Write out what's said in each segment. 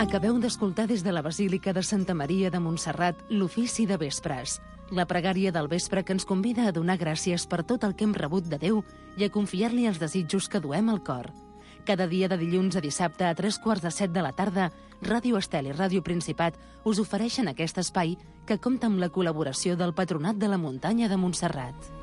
Acabeu d'escoltar des de la Basílica de Santa Maria de Montserrat l'ofici de vespres, la pregària del vespre que ens convida a donar gràcies per tot el que hem rebut de Déu i a confiar-li els desitjos que duem al cor. Cada dia de dilluns a dissabte a 3:45 de la tarda, Ràdio Estel i Ràdio Principat us ofereixen aquest espai que compta amb la col·laboració del Patronat de la Muntanya de Montserrat.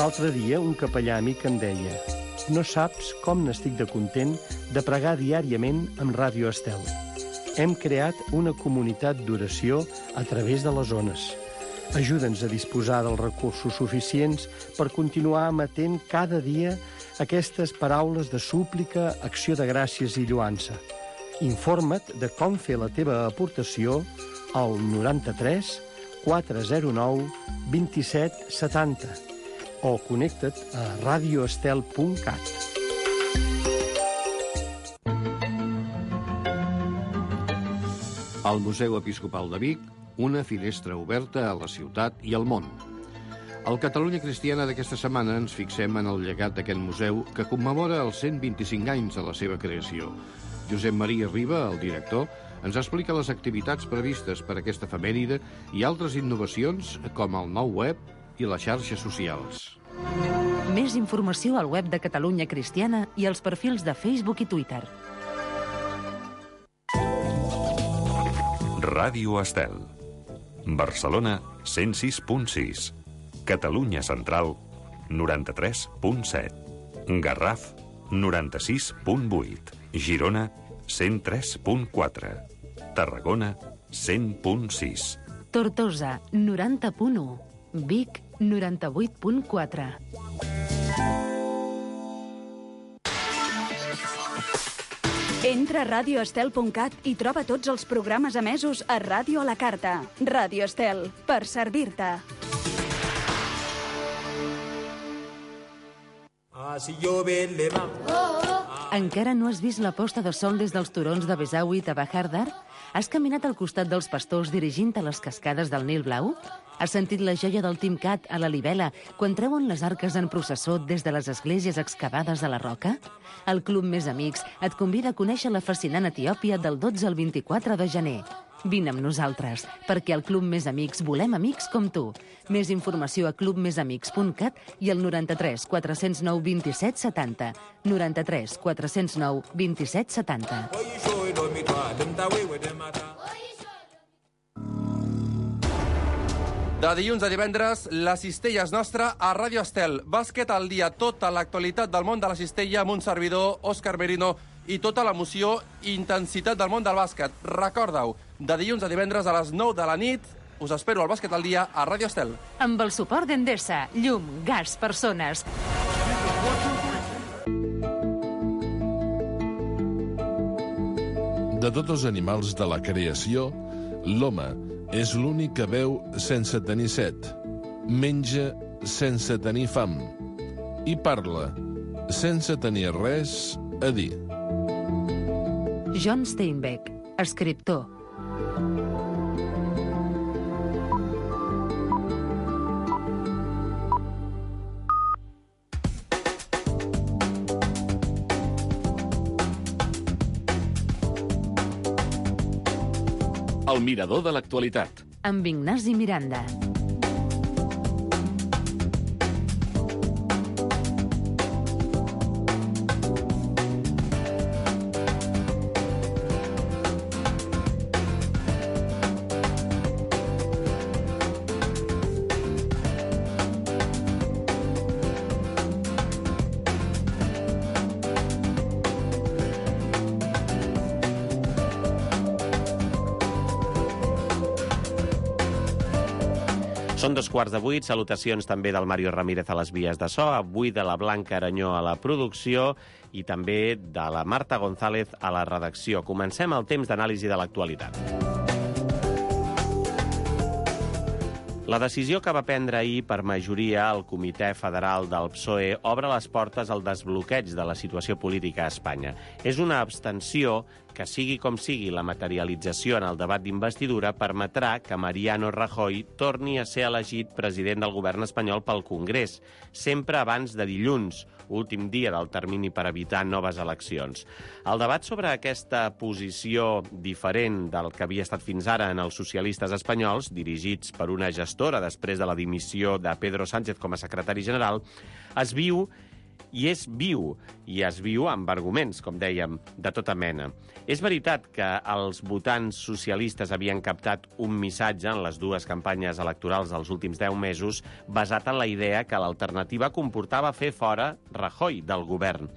L'altre dia un capellà amic em deia: no saps com n'estic de content de pregar diàriament amb Ràdio Estel. Hem creat una comunitat d'oració a través de les ones. Ajuda'ns a disposar dels recursos suficients per continuar emetent cada dia aquestes paraules de súplica, acció de gràcies i lloança. Informa't de com fer la teva aportació al 93 409 27 70 o connecta't a radioestel.cat. Al Museu Episcopal de Vic, una finestra oberta a la ciutat i al món. Al Catalunya Cristiana d'aquesta setmana ens fixem en el llegat d'aquest museu que commemora els 125 anys de la seva creació. Josep Maria Riba, el director, ens explica les activitats previstes per aquesta efemèride i altres innovacions com el nou web i les xarxes socials. Més informació al web de Catalunya Cristiana i als perfils de Facebook i Twitter. Ràdio Estel. Barcelona, 106.6. Catalunya Central, 93.7. Garraf, 96.8. Girona, 103.4. Tarragona, 100.6. Tortosa, 90.1. Vic, 98.4. Entra a radioestel.cat i troba tots els programes emesos a Ràdio a la Carta. Ràdio Estel, per servir-te. Encara no has vist la posta de sol des dels turons de Besawi i Tabajardar? Has caminat al costat dels pastors dirigint a les cascades del Nil Blau? Has sentit la joia del Timcat a la Libela quan treuen les arques en processó des de les esglésies excavades a la roca? El Club Més Amics et convida a conèixer la fascinant Etiòpia del 12 al 24 de gener. Vine amb nosaltres, perquè al Club Més Amics volem amics com tu. Més informació a clubmesamics.cat i al 93 409 27 70. 93 409 27 70. De dilluns a divendres, la cistella és nostra a Ràdio Estel. Bàsquet al dia, tota l'actualitat del món de la cistella amb un servidor, Òscar Merino, i tota l'emoció i intensitat del món del bàsquet. Recorda-ho, de dilluns a divendres a les 9 de la nit, us espero al Bàsquet al dia a Ràdio Estel. Amb el suport d'Endesa, llum, gas, persones. De tots els animals de la creació, l'home és l'únic que beu sense tenir set, menja sense tenir fam i parla sense tenir res a dir. John Steinbeck, escriptor. El mirador de l'actualitat. Amb Ignasi Miranda. Són 7:15, salutacions també del Mario Ramírez a les vies de so, avui de la Blanca Aranyó a la producció i també de la Marta González a la redacció. Comencem el temps d'anàlisi de l'actualitat. La decisió que va prendre ahir per majoria el Comitè Federal del PSOE obre les portes al desbloqueig de la situació política a Espanya. És una abstenció que sigui com sigui la materialització en el debat d'investidura permetrà que Mariano Rajoy torni a ser elegit president del govern espanyol pel Congrés, sempre abans de dilluns, últim dia del termini per evitar noves eleccions. El debat sobre aquesta posició diferent del que havia estat fins ara en els socialistes espanyols, dirigits per una gestora després de la dimissió de Pedro Sánchez com a secretari general, es viu i es viu amb arguments, com dèiem, de tota mena. És veritat que els votants socialistes havien captat un missatge en les dues campanyes electorals dels últims 10 mesos basat en la idea que l'alternativa comportava fer fora Rajoy del govern.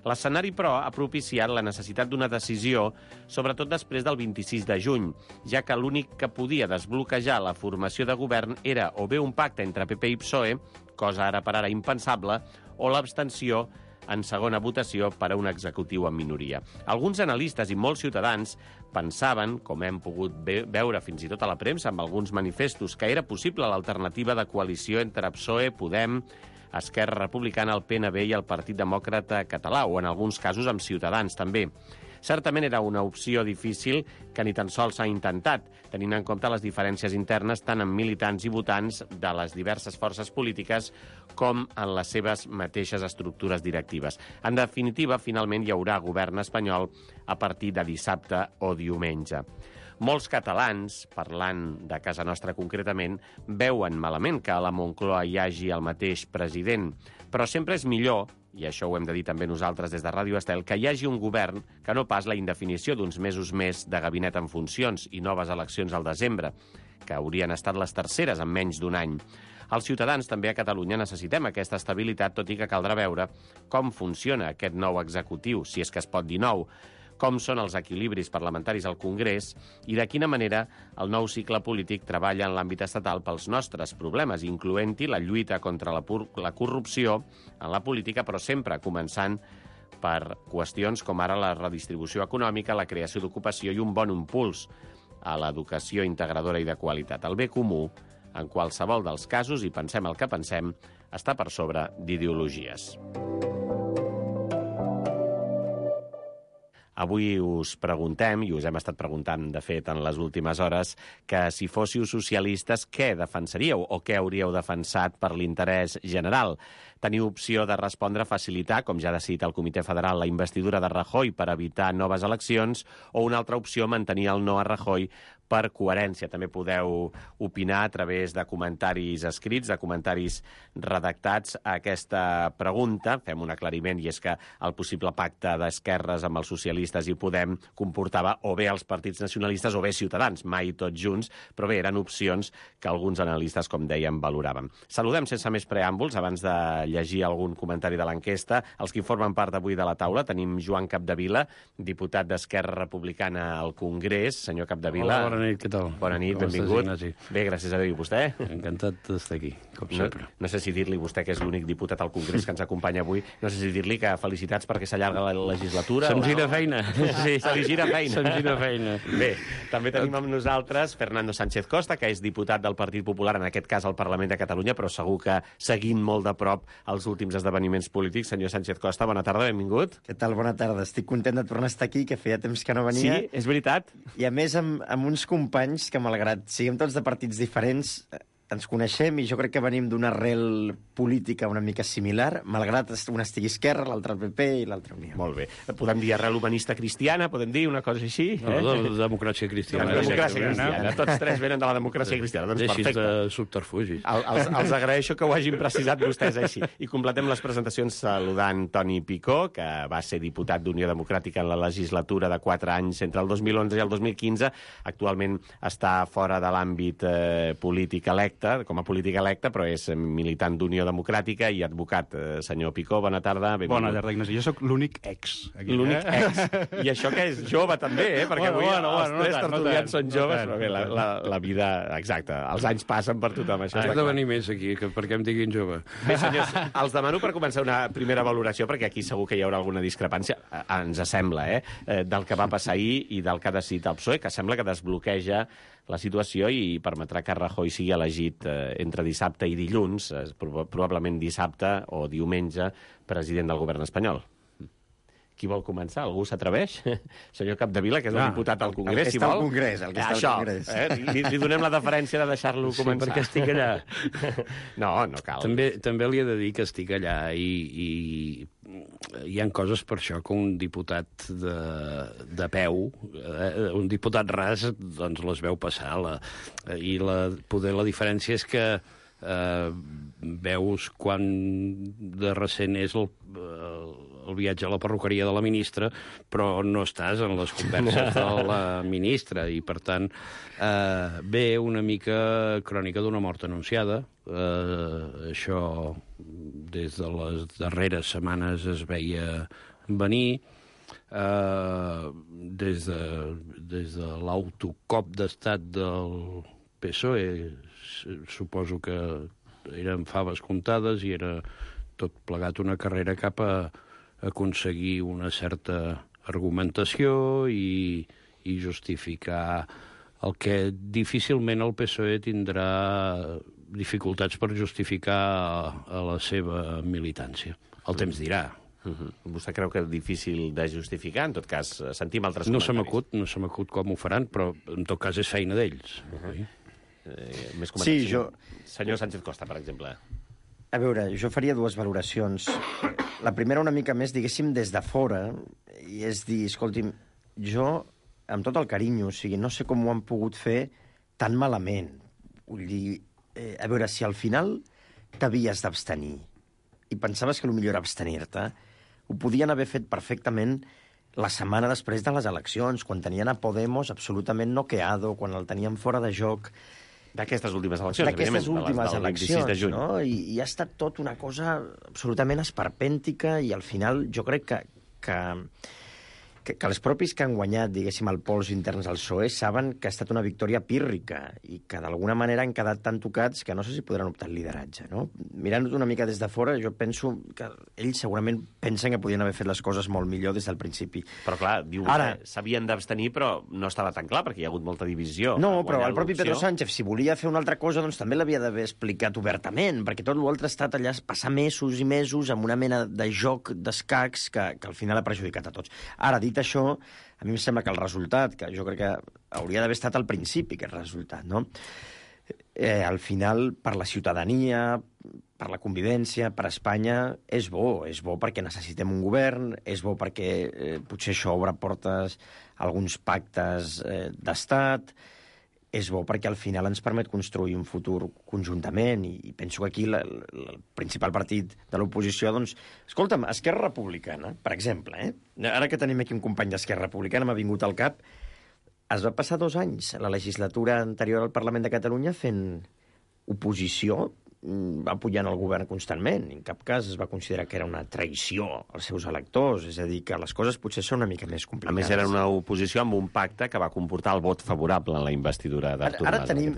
L'escenari, però, ha propiciat la necessitat d'una decisió, sobretot després del 26 de juny, ja que l'únic que podia desbloquejar la formació de govern era o bé un pacte entre PP i PSOE, cosa ara per ara impensable, o l'abstenció en segona votació per a un executiu en minoria. Alguns analistes i molts ciutadans pensaven, com hem pogut veure fins i tot a la premsa amb alguns manifestos, que era possible l'alternativa de coalició entre PSOE, Podem, Esquerra Republicana, el PNB i el Partit Demòcrata Català, o en alguns casos amb Ciutadans també. Certament era una opció difícil que ni tan sols s'ha intentat, tenint en compte les diferències internes tant en militants i votants de les diverses forces polítiques com en les seves mateixes estructures directives. En definitiva, finalment hi haurà govern espanyol a partir de dissabte o diumenge. Molts catalans, parlant de casa nostra concretament, veuen malament que a la Moncloa hi hagi el mateix president, però sempre és millor, i això ho hem de dir també nosaltres des de Ràdio Estel, que hi hagi un govern que no pas la indefinició d'uns mesos més de gabinet en funcions i noves eleccions al desembre, que haurien estat les terceres en menys d'un any. Els ciutadans també a Catalunya necessitem aquesta estabilitat, tot i que caldrà veure com funciona aquest nou executiu, si és que es pot dir nou, com són els equilibris parlamentaris al Congrés i de quina manera el nou cicle polític treballa en l'àmbit estatal pels nostres problemes, incloent-hi la lluita contra la corrupció en la política, però sempre començant per qüestions com ara la redistribució econòmica, la creació d'ocupació i un bon impuls a l'educació integradora i de qualitat. El bé comú, en qualsevol dels casos, i pensem el que pensem, està per sobre d'ideologies. Avui us preguntem, i us hem estat preguntant, de fet, en les últimes hores, que si fóssiu socialistes, què defensaríeu o què hauríeu defensat per l'interès general? Teniu opció de respondre a facilitar, com ja ha decidit el Comitè Federal, la investidura de Rajoy per evitar noves eleccions, o una altra opció, mantenir el no a Rajoy per coherència. També podeu opinar a través de comentaris escrits, de comentaris redactats a aquesta pregunta. Fem un aclariment, i és que el possible pacte d'esquerres amb els socialistes i Podem comportava o bé els partits nacionalistes o bé Ciutadans, mai tots junts, però bé, eren opcions que alguns analistes, com dèiem, valoraven. Saludem sense més preàmbuls, abans de llegir algun comentari de l'enquesta, els que formen part avui de la taula. Tenim Joan Capdevila, diputat d'Esquerra Republicana al Congrés. Senyor Capdevila. Hola, bona nit, què tal? Bona nit, benvingut. Bé, gràcies a Déu. I vostè? Encantat d'estar aquí, com sempre. No sé si dir-li, vostè que és l'únic diputat al Congrés que ens acompanya avui, no sé si dir-li que felicitats perquè s'allarga la legislatura. Se'm gira feina. Sí, se li gira feina. Se'm gira feina. Bé, també tenim amb nosaltres Fernando Sánchez Costa, que és diputat del Partit Popular, en aquest cas al Parlament de Catalunya, però segur que seguint molt de prop els últims esdeveniments polítics. Senyor Sánchez Costa, bona tarda, benvingut. Què tal? Bona tarda. Estic content de tornar a estar aquí, que feia temps que no venia. Sí, és veritat. I a més amb uns companys que, malgrat siguem tots de partits diferents, ens coneixem i jo crec que venim d'una arrel política una mica similar, malgrat un estigui Esquerra, l'altre el PP i l'altre Unió. Molt bé. Podem dir arrel humanista cristiana, podem dir una cosa així? No, de democràcia cristiana. Democràcia cristiana. Tots tres venen de la democràcia cristiana. Doncs perfecte. perfecte. De subterfugis. Els agraeixo que ho hagin precisat vostès així. I completem les presentacions saludant Toni Picó, que va ser diputat d'Unió Democràtica en la legislatura de 4 anys entre el 2011 i el 2015. Actualment està fora de l'àmbit polític electe, com a polític electe, però és militant d'Unió Democràtica i advocat. Senyor Picó, bona tarda. Bona tarda, Ignasi. Jo sóc l'únic ex. L'únic ex. I això que és jove, també, perquè avui els tres tertulians són joves, però bé, la vida... Exacte, els anys passen per tothom. Has de venir més aquí, perquè em diguin jove. Bé, senyors, els demano per començar una primera valoració, perquè aquí segur que hi haurà alguna discrepància, ens sembla, del que va passar ahir i del que ha decidit el PSOE, que sembla que desbloqueja la situació i permetrà que Rajoy sigui elegit entre dissabte i dilluns, probablement dissabte o diumenge, president del govern espanyol. Qui vol començar? Algú s'atreveix? Senyor Capdevila, que és el diputat al Congrés, si vol. El que està al Congrés. Li donem la deferència de deixar-lo començar. Sí, perquè estic allà. No cal. També li he de dir que estic allà i hi ha coses per això que un diputat de peu, un diputat ras, doncs les veu passar. Poder la diferència és que veus quan de recent és el viatge a la perruqueria de la ministra, però no estàs en les converses de la ministra, i per tant ve una mica crònica d'una mort anunciada. Això des de les darreres setmanes es veia venir. Des de l'autocop d'estat del PSOE suposo que eren faves comptades i era tot plegat una carrera cap a aconseguir una certa argumentació i justificar el que difícilment el PSOE tindrà dificultats per justificar a la seva militància. El temps dirà. Vostè creu que és difícil de justificar? En tot cas, sentim altres comentaris. No se m'acut com ho faran, però en tot cas és feina d'ells. Més comentaris. Senyor Sánchez Costa, per exemple. A veure, jo faria dues valoracions. La primera una mica més, diguéssim, des de fora, i és dir, escolti'm, jo, amb tot el carinyo, o sigui, no sé com ho han pogut fer tan malament. Vull dir, a veure, si al final t'havies d'abstenir i pensaves que el millor era abstenir-te, ho podien haver fet perfectament la setmana després de les eleccions, quan tenien a Podemos absolutament noqueado, quan el tenien fora de joc. D'aquestes últimes eleccions, d'aquestes últimes eleccions, 26 de juny. No? I ha estat tot una cosa absolutament esperpèntica, i al final jo crec que els propis que han guanyat, diguéssim, el pols interns al PSOE saben que ha estat una victòria pírrica i que d'alguna manera han quedat tan tocats que no sé si podran optar al lideratge, no? Mirant-ho una mica des de fora, jo penso que ells segurament pensen que podien haver fet les coses molt millor des del principi. Però clar, diu vostè, s'havien d'abstenir, però no estava tan clar, perquè hi ha hagut molta divisió. No, però el propi Pedro Sánchez, si volia fer una altra cosa, doncs també l'havia d'haver explicat obertament, perquè tot l'altre ha estat allà passar mesos i mesos amb una mena de joc d'escacs que al final ha perjudicat a tots. Ara, dit això, a mi em sembla que el resultat, que jo crec que hauria d'haver estat al principi aquest resultat, no? Al final, per la ciutadania, per la convivència, per Espanya, és bo perquè necessitem un govern, és bo perquè potser això obre portes a alguns pactes d'estat, és bo perquè al final ens permet construir un futur conjuntament, i penso que aquí el principal partit de l'oposició, doncs, escolta'm, Esquerra Republicana, per exemple, ara que tenim aquí un company d'Esquerra Republicana, m'ha vingut al cap, es va passar 2 anys a la legislatura anterior al Parlament de Catalunya fent oposició, apoyant el govern constantment. En cap cas es va considerar que era una traïció als seus electors, és a dir, que les coses potser són una mica més complicades. A més, era una oposició amb un pacte que va comportar el vot favorable en la investidura d'Artur Mas. Ara tenim,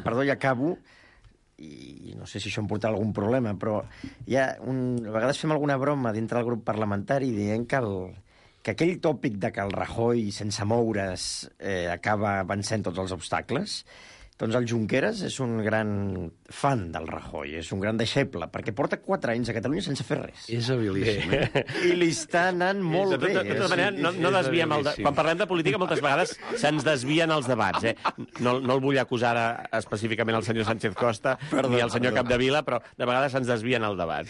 perdó, ja acabo, i no sé si això em portarà algun problema, però a vegades fem alguna broma dintre del grup parlamentari dient que aquell tòpic de que el Rajoy, sense moure's, acaba vencent tots els obstacles. Doncs el Junqueras és un gran fan del Rajoy, és un gran deixeble, perquè porta 4 anys a Catalunya sense fer res. És habilíssim. I li està anant molt bé. De tota manera, no desviem quan parlem de política, moltes vegades se'ns desvien els debats. No el vull acusar específicament al senyor Sánchez Costa ni al senyor Capdevila, però de vegades se'ns desvien el debat.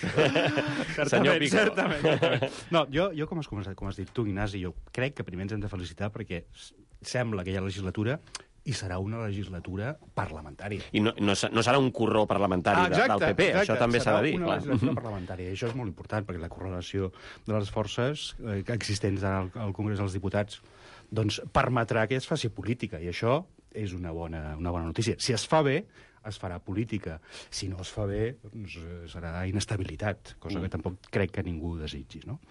Certament. No, jo com has dit tu, Ignasi, jo crec que primer ens hem de felicitar perquè sembla que hi ha legislatura i serà una legislatura parlamentària. I no serà un corró parlamentari del PP, això també s'ha de dir. Serà una legislatura parlamentària, i això és molt important, perquè la correlació de les forces existents al Congrés dels Diputats doncs permetrà que es faci política, i això és una bona notícia. Si es fa bé, es farà política. Si no es fa bé, doncs serà inestabilitat, cosa que tampoc crec que ningú desitgi, no?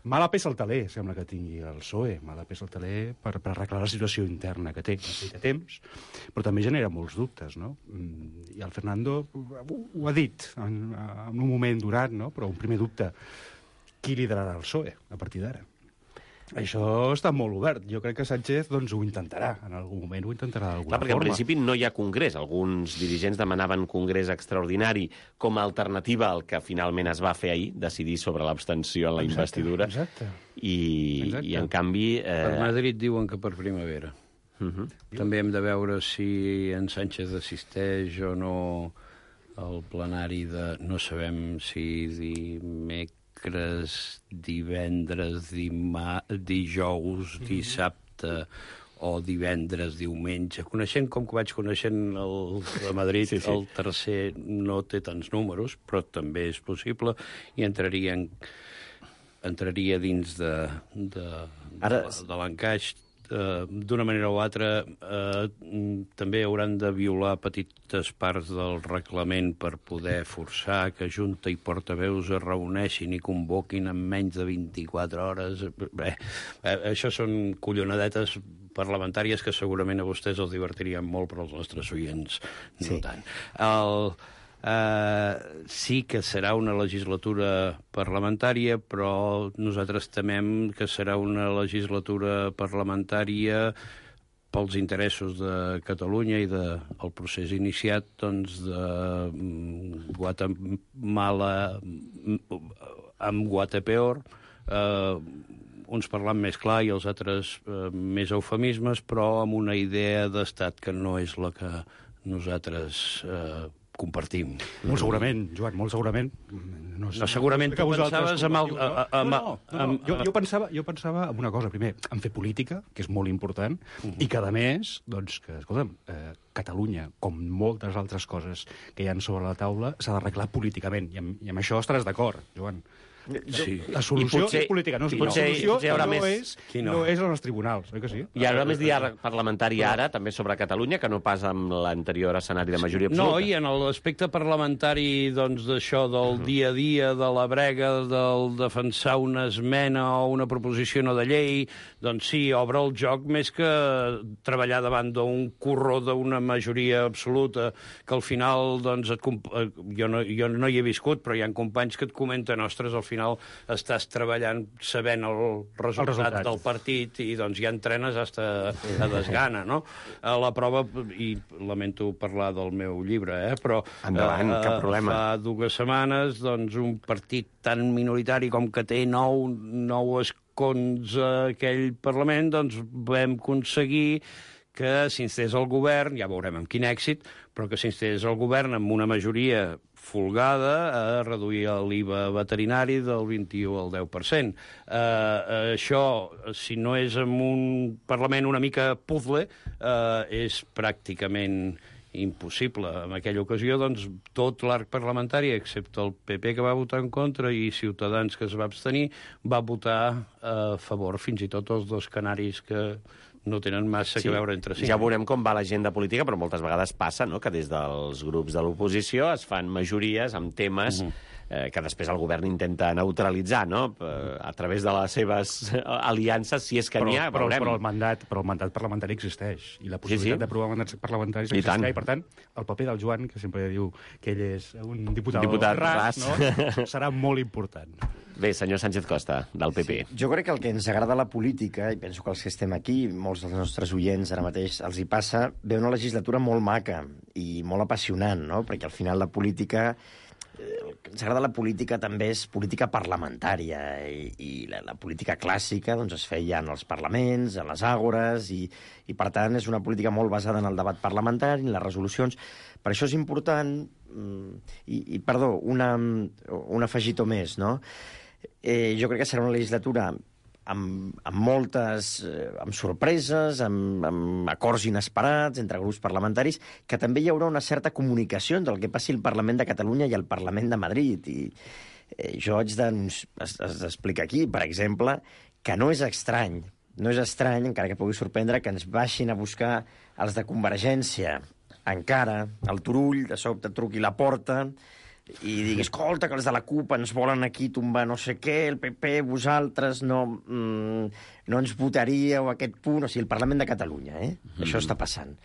Mala peça al taler, sembla que tingui el PSOE, mala peça al taler per arreglar la situació interna que té. Necessita temps, però també genera molts dubtes, no? I el Fernando ho ha dit en un moment durat, no? Però un primer dubte, qui liderarà el PSOE a partir d'ara? Això està molt obert. Jo crec que Sánchez doncs, ho intentarà. En algun moment ho intentarà d'alguna forma. Perquè en principi no hi ha congrés. Alguns dirigents demanaven congrés extraordinari com a alternativa al que finalment es va fer ahir, decidir sobre l'abstenció en la investidura. Exacte. i en canvi... Per Madrid diuen que per primavera. També hem de veure si en Sánchez assisteix o no al plenari de... No sabem si dimecres, divendres, dijous, dissabte o divendres, diumenge. Coneixent com que vaig coneixent el de Madrid, el tercer no té tants números, però també és possible, i entraria dins de l'encaix. D'una manera o altra, també hauran de violar petites parts del reglament per poder forçar que Junta i portaveus es reuneixin i convoquin en menys de 24 hores. Bé, això són collonadetes parlamentàries que segurament a vostès els divertirien molt, però als nostres oients no tant. Sí que serà una legislatura parlamentària, però nosaltres temem que serà una legislatura parlamentària pels interessos de Catalunya i del procés iniciat de Guatemala amb Guatepeor, uns parlant més clar i els altres més eufemismes, però amb una idea d'estat que no és la que nosaltres compartim. Molt segurament, Joan, molt segurament. No, segurament tu pensaves amb el... Jo pensava en una cosa, primer, en fer política, que és molt important, i que, a més, doncs, que, escolta'm, Catalunya, com moltes altres coses que hi ha sobre la taula, s'ha d'arreglar políticament, i amb això estaràs d'acord, Joan. Sí. La solució és política, no? La solució no és als tribunals, oi que sí? Hi haurà més diàleg parlamentari ara, també sobre Catalunya, que no pas amb l'anterior escenari de majoria absoluta. No, i en l'aspecte parlamentari, doncs, d'això del dia a dia, de la brega, del defensar una esmena o una proposició no de llei, doncs sí, obre el joc més que treballar davant d'un corró d'una majoria absoluta, que al final, doncs, jo no hi he viscut, però hi ha companys que et comenten, ostres, al final estàs treballant sabent el resultat del partit i doncs ja entrenes a desgana, no? La prova, i lamento parlar del meu llibre, però endavant, cap problema. Fa 2 setmanes, doncs, un partit tan minoritari com que té 9 escons a aquell Parlament, doncs vam aconseguir que s'instés el govern, ja veurem amb quin èxit, però que s'instés el govern amb una majoria folgada a reduir l'IVA veterinari del 21 al 10%. Això, si no és en un Parlament una mica puzzle, és pràcticament impossible. En aquella ocasió, doncs, tot l'arc parlamentari, excepte el PP, que va votar en contra, i Ciutadans, que es va abstenir, va votar a favor, fins i tot els 2 canaris que no tenen massa que veure entre si. Ja veurem com va l'agenda política, però moltes vegades passa, no?, que des dels grups de l'oposició es fan majories amb temes que després el govern intenta neutralitzar, no?, a través de les seves aliances, si és que n'hi ha, veurem. Però el mandat parlamentari existeix, i la possibilitat d'aprovar mandats parlamentaris existeix, i per tant, el paper del Joan, que sempre diu que ell és un diputat ras, no?, serà molt important. Bé, senyor Sánchez Costa, del PP. Jo crec que el que ens agrada la política, i penso que els que estem aquí, molts dels nostres oients ara mateix, els hi passa, ve una legislatura molt maca i molt apassionant, no?, perquè al final la política... El que ens agrada la política també és política parlamentària, i la política clàssica doncs, es feia en els parlaments, en les àgores, i per tant és una política molt basada en el debat parlamentari, en les resolucions. Per això és important, perdó, un afegitó més, no? Jo crec que serà una legislatura amb sorpreses, amb acords inesperats entre grups parlamentaris, que també hi haurà una certa comunicació entre el que passi al Parlament de Catalunya i al Parlament de Madrid. I jo haig d'explicar aquí, per exemple, que no és estrany, encara que pugui sorprendre, que ens baixin a buscar els de Convergència encara, al Turull, de sobte truqui la porta i digui, escolta, que els de la CUP ens volen aquí tombar no sé què, el PP, vosaltres no ens votaríeu a aquest punt. O sigui, el Parlament de Catalunya, Això està passant.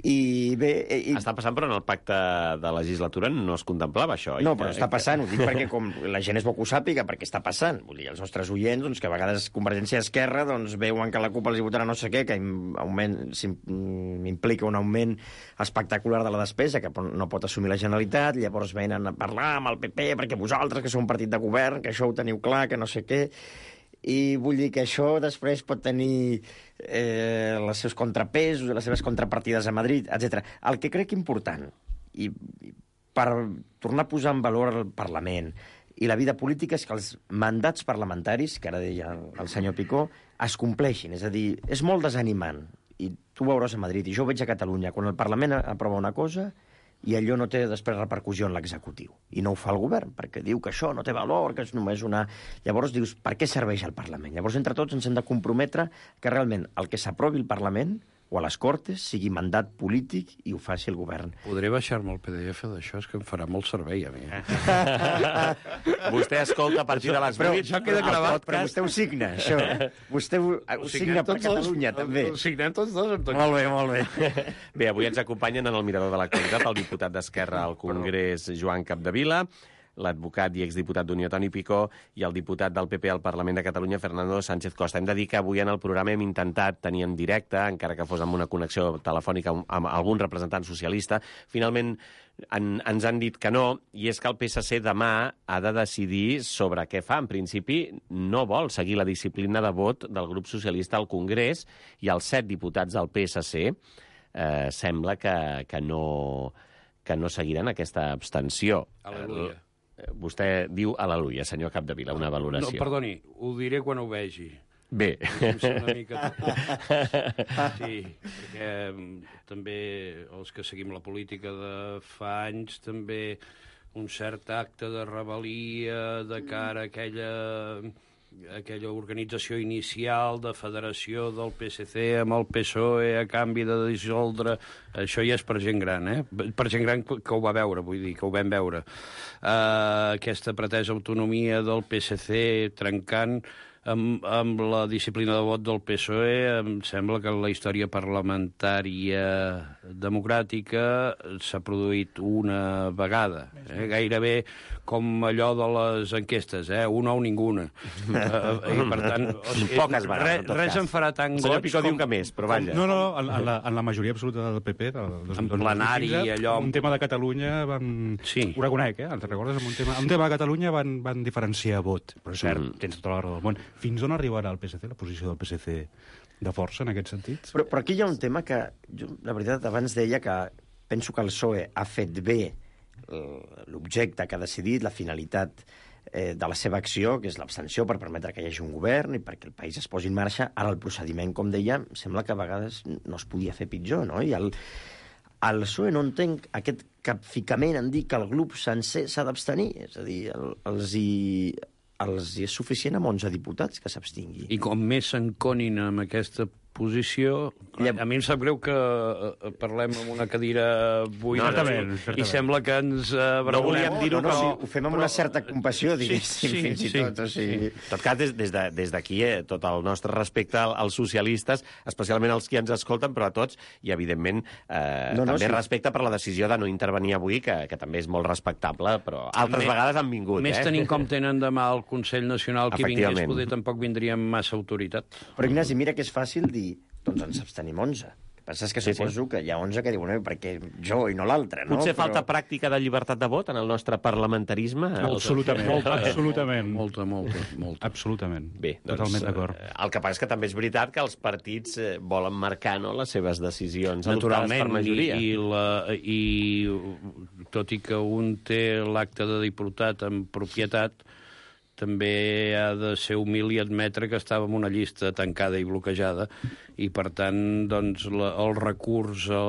I bé... Està passant, però en el pacte de legislatura no es contemplava això. No, però està passant, ho dic perquè com la gent és bo que ho sàpiga, perquè està passant. Vull dir, els nostres oients, doncs, que a vegades Convergència i Esquerra doncs, veuen que la CUP els votarà no sé què, que implica un augment espectacular de la despesa que no pot assumir la Generalitat, llavors venen a parlar amb el PP perquè vosaltres, que sou un partit de govern, que això ho teniu clar, que no sé què... I vull dir que això després pot tenir els seus contrapesos, les seves contrapartides a Madrid, etc. El que crec important, i per tornar a posar en valor el Parlament i la vida política, és que els mandats parlamentaris, que ara deia el senyor Picó, es compleixin. És a dir, és molt desanimant. I tu ho veuràs a Madrid, i jo ho veig a Catalunya. Quan el Parlament aprova una cosa i allò no té després repercussió en l'executiu. I no ho fa el govern, perquè diu que això no té valor, que és només una... Llavors dius, per què serveix el Parlament? Llavors, entre tots, ens hem de comprometre que realment el que s'aprovi el Parlament o a les Cortes sigui mandat polític i ho faci el govern. Podré baixar-me el PDF d'això, és que em farà molt servei a mi. Vostè escolta a partir de les 8. Però això queda gravat. Però vostè ho signa, això. Vostè ho signa per Catalunya, també. Ho signem tots dos. Molt bé, molt bé. Bé, avui ens acompanyen en el Mirador de l'Actualitat el diputat d'Esquerra al Congrés, Joan Capdevila, l'advocat i exdiputat d'Unió, Toni Picó, i el diputat del PP al Parlament de Catalunya, Fernando Sánchez Costa. Hem de dir que avui en el programa hem intentat tenir en directe, encara que fos amb una connexió telefònica amb algun representant socialista. Finalment ens han dit que no, i és que el PSC demà ha de decidir sobre què fa. En principi, no vol seguir la disciplina de vot del grup socialista al Congrés, i els 7 diputats del PSC sembla que no seguiran aquesta abstenció. Aleluia. Vostè diu aleluia, senyor Capdevila, una valoració. No, perdoni, ho diré quan ho vegi. Bé. Una mica... Sí, perquè també els que seguim la política de fa anys, també un cert acte de rebel·lia de cara a aquella organització inicial de federació del PSC amb el PSOE a canvi de dissoldre... Això ja és per gent gran, Per gent gran que ho va veure, vull dir, que ho vam veure. Aquesta pretesa autonomia del PSC trencant amb la disciplina de vot del PSOE, em sembla que en la història parlamentària democràtica s'ha produït una vegada. Gairebé com allò de les enquestes, un ou ninguna. I per tant, poques vegades, res em farà tan goig. Senyor Picó diu que més, però vaja. No, en la majoria absoluta del PP, en plenari, allò... Un tema de Catalunya van... Sí. Ho reconec, te'n recordes? Un tema de Catalunya van diferenciar vot. Però és cert, tens tota la raó del món. Fins on arribarà el PSC, la posició del PSC de força en aquest sentit? Però aquí hi ha un tema que, jo, la veritat, abans deia que penso que el PSOE ha fet bé l'objecte que ha decidit, la finalitat de la seva acció, que és l'abstenció per permetre que hi hagi un govern i perquè el país es posi en marxa. Ara el procediment, com deia, sembla que a vegades no es podia fer pitjor, no? I el PSOE no entenc aquest capficament en dir que el grup sencer s'ha d'abstenir. És a dir, els és suficient amb 11 diputats que s'abstingui. I com més s'enconin amb aquesta posició... A mi em sap greu que parlem amb una cadira buida i sembla que ens... No volíem dir-ho, però... Ho fem amb una certa compassió, diguéssim, fins i tot. En tot cas, des d'aquí, tot el nostre respecte als socialistes, especialment als qui ens escolten, però a tots, i evidentment també respecte per la decisió de no intervenir avui, que també és molt respectable, però altres vegades han vingut. Més tenint com tenen demà el Consell Nacional, qui vingués, poder tampoc vindria amb massa autoritat. Però, Ignasi, mira que és fàcil dir doncs ens abstenim 11. El que passa és que suposo que hi ha 11 que diuen perquè jo i no l'altre, no? Potser falta pràctica de llibertat de vot en el nostre parlamentarisme? Absolutament. Absolutament. Molta. Absolutament. Bé, totalment d'acord. El que passa és que també és veritat que els partits volen marcar les seves decisions adoptades per majoria. I tot i que un té l'acte de diputat en propietat, també ha de ser humil i admetre que estava en una llista tancada i bloquejada i, per tant, doncs, el recurs a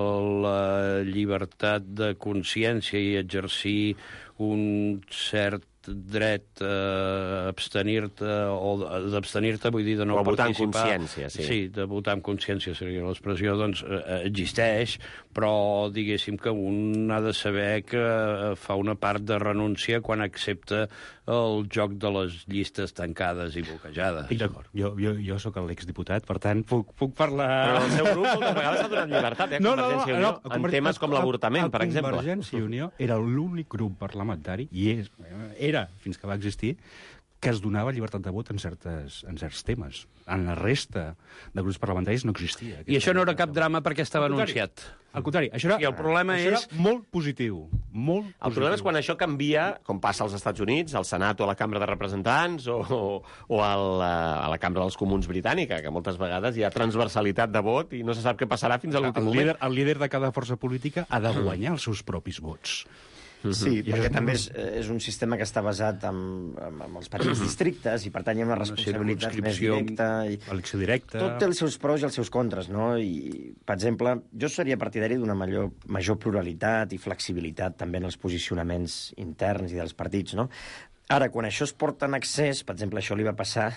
la llibertat de consciència i exercir un cert dret a abstenir-te o d'abstenir-te, vull dir, de no participar... O votar amb consciència, sí. Sí, de votar amb consciència seria l'expressió, doncs existeix, però diguéssim que un ha de saber que fa una part de renúncia quan accepta el joc de les llistes tancades i bloquejades. D'acord, jo sóc l'exdiputat, per tant, puc parlar... Però el seu grup moltes vegades ha donat llibertat, Convergència i Unió, en temes com l'avortament, per exemple. Convergència i Unió era l'únic grup parlamentari, i era, fins que va existir, que es donava llibertat de vot en certs temes. En la resta de grups parlamentaris no existia. I això no era cap drama perquè estava anunciat. Al contrari, això era, I el problema era és... molt positiu. Molt El problema és quan això canvia, com passa als Estats Units, al Senat o a la Cambra de Representants o a la Cambra dels Comuns britànica, que moltes vegades hi ha transversalitat de vot i no se sap què passarà fins a l'últim moment. El líder de cada força política ha de guanyar els seus propis vots. Sí, perquè també és un sistema que està basat en els petits districtes i, per tant, hi ha una responsabilitat més directa. Elecció directa. Tot té els seus pros i els seus contres, no? I, per exemple, jo seria partidari d'una major pluralitat i flexibilitat també en els posicionaments interns i dels partits, no? Ara, quan això es porta en excés, per exemple, això li va passar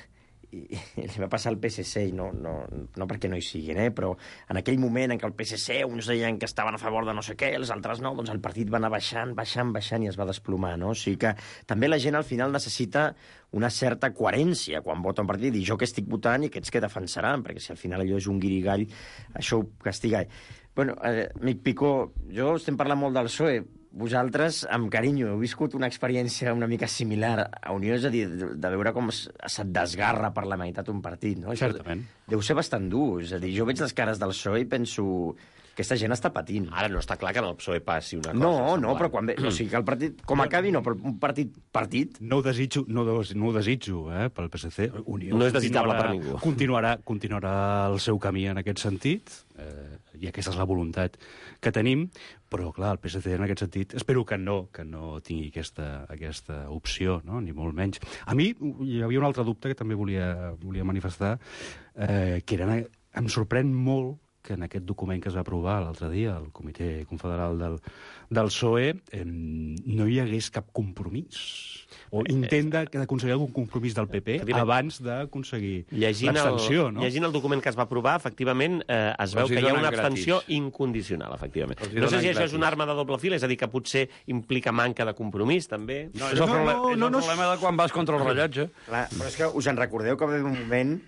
li va passar al PSC, i no perquè no hi siguin, però en aquell moment en què el PSC uns deien que estaven a favor de no sé què, els altres no, doncs el partit va anar baixant i es va desplomar, no? O sigui que també la gent al final necessita una certa coherència quan vota un partit, i jo que estic votant i aquests que defensaran, perquè si al final allò és un guirigall, això ho castiga. Bueno, amic Picó, jo estem parlant molt del PSOE, vosaltres, amb carinyo, heu viscut una experiència una mica similar a Unió, és a dir, de veure com se't desgarra per la meitat un partit, no? Certament. Deu ser bastant dur, és a dir, jo veig les cares del PSOE i penso... Aquesta gent està patint. Ara no està clar que en el PSOE passi una cosa. No, però quan ve... O sigui, que el partit, com acabi, no, però un partit... No ho desitjo, pel PSC. Unió no és desitjable per ningú. Continuarà el seu camí en aquest sentit, i aquesta és la voluntat que tenim, però, clar, el PSC en aquest sentit, espero que no tingui aquesta opció, no? Ni molt menys. A mi hi havia un altre dubte que també volia manifestar, que era... Em sorprèn molt que en aquest document que es va aprovar l'altre dia al Comitè Confederal del PSOE no hi hagués cap compromís o intent d'aconseguir algun compromís del PP abans d'aconseguir l'abstenció, no? Llegint el document que es va aprovar, efectivament, es veu que hi ha una abstenció incondicional, efectivament. No sé si això és una arma de doble fil, és a dir, que potser implica manca de compromís, també. No, és el problema de quan vas contra el rellotge. Clar, però és que us en recordeu que va haver un moment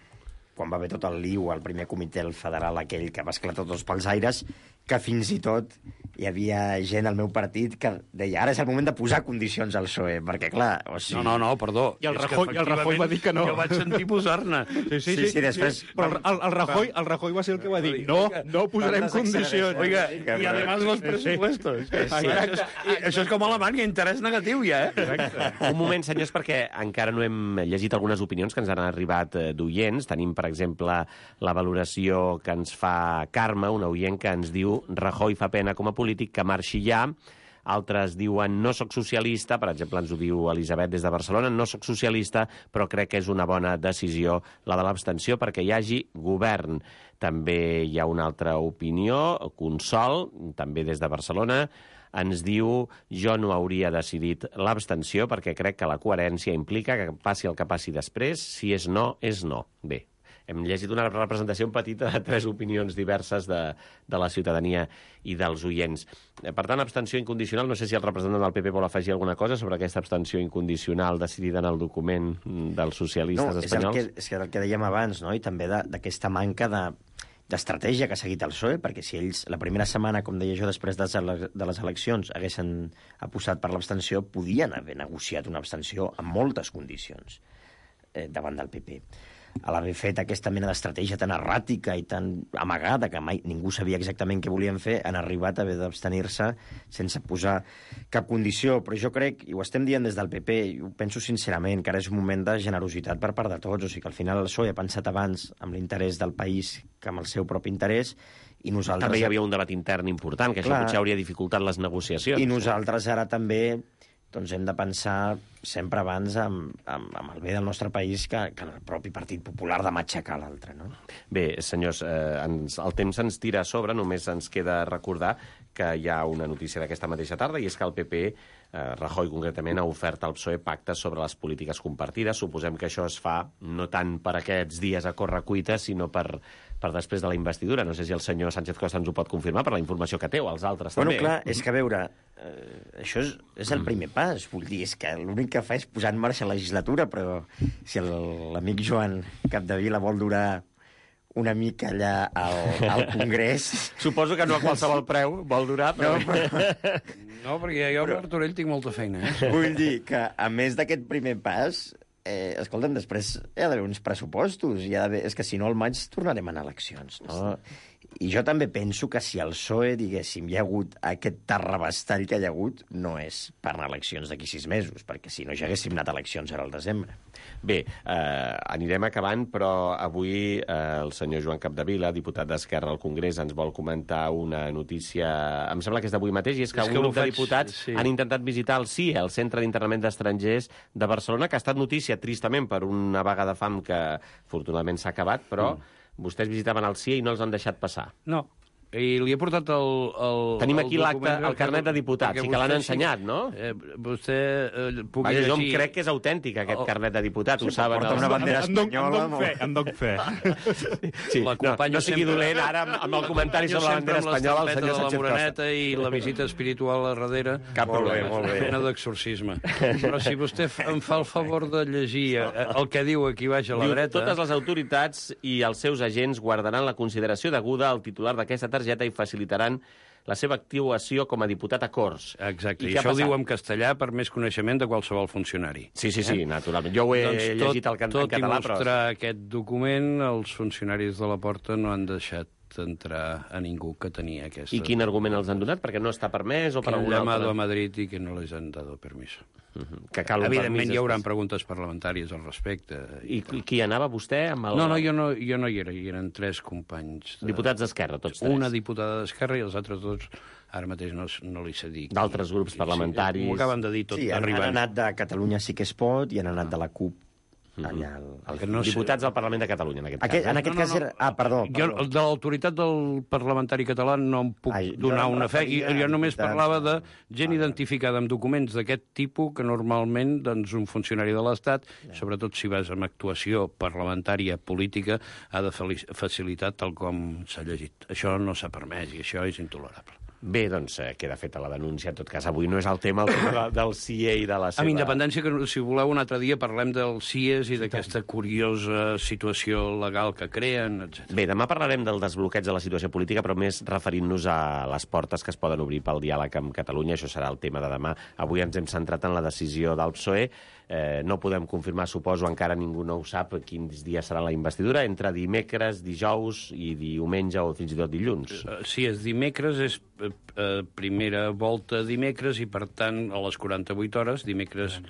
quan va haver tot el lío al primer comitè federal aquell que va esclatar tots pels aires, que fins i tot hi havia gent al meu partit que deia ara és el moment de posar condicions al PSOE, perquè clar... O sigui... No, perdó. I el Rajoy va dir que no. Jo vaig sentir posar-ne. Sí, després... Però el Rajoy va ser el que va dir no posarem condicions. Oiga, y además los presupuestos. Això és com a Alemanya, interès negatiu ja, Un moment, senyors, perquè encara no hem llegit algunes opinions que ens han arribat d'oients. Tenim, per exemple, la valoració que ens fa Carme, una oient que ens diu Rajoy fa pena com a polític, que marxi ja. Altres diuen no soc socialista, per exemple ens ho diu Elisabet des de Barcelona, no soc socialista, però crec que és una bona decisió la de l'abstenció perquè hi hagi govern. També hi ha una altra opinió, Consol, també des de Barcelona, ens diu jo no hauria decidit l'abstenció perquè crec que la coherència implica que passi el que passi després, si és no, és no. Bé, hem llegit una representació petita de 3 opinions diverses de la ciutadania i dels oients. Per tant, abstenció incondicional, no sé si el representant del PP vol afegir alguna cosa sobre aquesta abstenció incondicional decidida en el document dels socialistes espanyols. És el que dèiem abans, no? I també d'aquesta manca d'estratègia que ha seguit el PSOE, perquè si ells la primera setmana, com deia jo, després de les eleccions haguessin apostat per l'abstenció, podien haver negociat una abstenció amb moltes condicions davant del PP. A l'haver fet aquesta mena d'estratègia tan erràtica i tan amagada que mai ningú sabia exactament què volien fer, han arribat a haver d'abstenir-se sense posar cap condició. Però jo crec, i ho estem dient des del PP, i ho penso sincerament, que ara és un moment de generositat per part de tots. O sigui que al final el PSOE ha pensat abans amb l'interès del país que amb el seu propi interès, i nosaltres... També hi havia un debat intern important, que això potser hauria dificultat les negociacions. I nosaltres ara també hem de pensar sempre abans amb el bé del nostre país que el propi Partit Popular de matxacar l'altre, no? Bé, senyors, el temps ens tira a sobre, només ens queda recordar que hi ha una notícia d'aquesta mateixa tarda, i és que el PP, Rajoy concretament, ha ofert al PSOE pactes sobre les polítiques compartides. Suposem que això es fa no tant per aquests dies a correcuita, sinó per després de la investidura. No sé si el senyor Sánchez Costa ens ho pot confirmar per la informació que té, o els altres també. Bueno, clar, és que a veure, això és el primer pas. Vull dir, és que l'únic que fa és posar en marxa la legislatura, però si l'amic Joan Capdevila vol durar una mica allà al Congrés... Suposo que no a qualsevol preu vol durar, però... No, perquè jo amb Martorell tinc molta feina. Vull dir que, a més d'aquest primer pas, escolta'm, després hi ha d'haver uns pressupostos, és que si no al maig tornarem a anar a eleccions, no? I jo també penso que si al PSOE, diguéssim, hi ha hagut aquest terrabastall que hi ha hagut, no és per anar a eleccions d'aquí 6 mesos, perquè si no ja haguéssim anat a eleccions ara al desembre. Bé, anirem acabant, però avui el senyor Joan Capdevila, diputat d'Esquerra al Congrés, ens vol comentar una notícia, em sembla que és d'avui mateix, i és que un grup de diputats han intentat visitar el CIE, el Centre d'Internament d'Estrangers de Barcelona, que ha estat notícia, tristament, per una vaga de fam que afortunadament s'ha acabat, però vostès visitaven el CIE i no els han deixat passar. No. I li he portat el Tenim aquí l'acte, el carnet de diputats, i que l'han ensenyat, no? Vostè pugui llegir... Jo llegir... crec que és autèntic, aquest carnet de diputats, ho saben. Porta una bandera espanyola... En doc fe. Sí, no sigui dolent ara amb el comentari sobre la bandera espanyola el senyor Sánchez Costa. I la visita espiritual a darrere. Cap problema, molt bé. Pena d'exorcisme. Però si vostè em fa el favor de llegir el que diu aquí baix a la dreta... Totes les autoritats i els seus agents guardaran la consideració deguda al titular d'aquesta targeta i facilitaran la seva actuació com a diputat a Corts. Exacte, i això ho diu en castellà per més coneixement de qualsevol funcionari. Sí, naturalment. Jo ho he llegit en català, però... Tot i mostrar aquest document, els funcionaris de la Porta no han deixat entrar a ningú que tenia aquesta... I quin argument els han donat? Perquè no està permès o per algun altre? Que han llamado a Madrid i que no les han dado permiso. Que cal un Evidentment hi haurà preguntes parlamentàries al respecte. I qui anava vostè? Amb el... No, jo no hi era, hi eren 3 companys. Diputats d'Esquerra, tots 3. Una diputada d'Esquerra i els altres 2 ara mateix no li sé dir. D'altres grups parlamentaris. M'ho acaben de dir tot. Sí, han anat de Catalunya sí que es pot i han anat de la CUP. Diputats del Parlament de Catalunya, en aquest cas. En aquest cas era... perdó. Jo, de l'autoritat del parlamentari català no em puc donar una fe. Jo només parlava de gent identificada amb documents d'aquest tipus que normalment un funcionari de l'Estat, sobretot si vas amb actuació parlamentària política, ha de facilitar tal com s'ha llegit. Això no s'ha permès i això és intolerable. Bé, doncs queda feta la denúncia. En tot cas, avui no és el tema del CIE i de la seva... Amb independència que, si voleu, un altre dia parlem dels CIEs i d'aquesta curiosa situació legal que creen, etc. Bé, demà parlarem del desbloqueig de la situació política, però més referint-nos a les portes que es poden obrir pel diàleg amb Catalunya. Això serà el tema de demà. Avui ens hem centrat en la decisió del PSOE. No podem confirmar, suposo, encara ningú no ho sap, quins dies serà la investidura, entre dimecres, dijous i diumenge o fins i tot dilluns. Si és dimecres, és primera volta dimecres i, per tant, a les 48 hores, divendres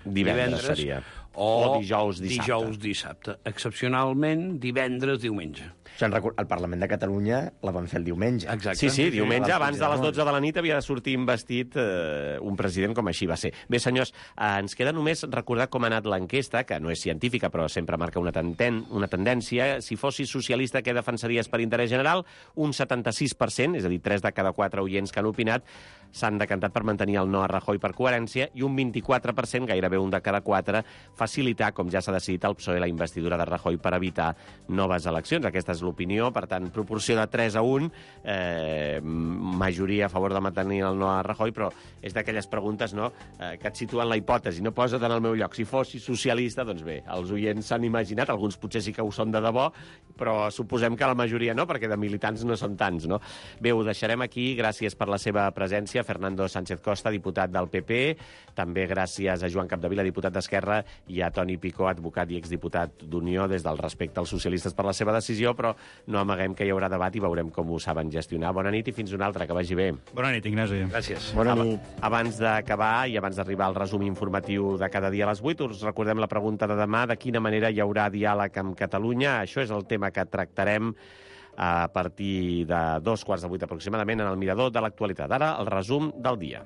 seria. O dijous, dissabte. Dijous, dissabte. Excepcionalment, divendres, diumenge. El Parlament de Catalunya la van fer el diumenge. Exacte. Sí, diumenge, abans de les 12 de la nit, havia de sortir investit un president, com així va ser. Bé, senyors, ens queda només recordar com ha anat l'enquesta, que no és científica, però sempre marca una tendència. Si fossis socialista, què defensaries per interès general? Un 76%, és a dir, 3 de cada 4 oients que han opinat, s'han decantat per mantenir el no a Rajoy per coherència, i un 24%, gairebé 1 de cada 4, facilitar, com ja s'ha decidit al PSOE, la investidura de Rajoy per evitar noves eleccions. Aquesta és l'opinió, per tant, proporció de 3 a 1, majoria a favor de mantenir el no a Rajoy, però és d'aquelles preguntes, no?, que et situen la hipòtesi, no? Posa't en el meu lloc. Si fossis socialista, doncs bé, els oients s'han imaginat, alguns potser sí que ho són de debò, però suposem que la majoria no, perquè de militants no són tants, no? Bé, ho deixarem aquí. Gràcies per la seva presència, Fernando Sánchez Costa, diputat del PP, també gràcies a Joan Capdevila, diputat d'Esquerra, i a Toni Picó, advocat i exdiputat d'Unió, des del respecte als socialistes per la seva decisió, però no amaguem que hi haurà debat i veurem com ho saben gestionar. Bona nit i fins una altra, que vagi bé. Bona nit, Ignasi. Gràcies. Bona nit. Abans d'acabar i abans d'arribar al resum informatiu de cada dia a les 8, us recordem la pregunta de demà: de quina manera hi haurà diàleg amb Catalunya? Això és el tema que tractarem a partir de 2:15 aproximadament en el Mirador de l'Actualitat. Ara, el resum del dia.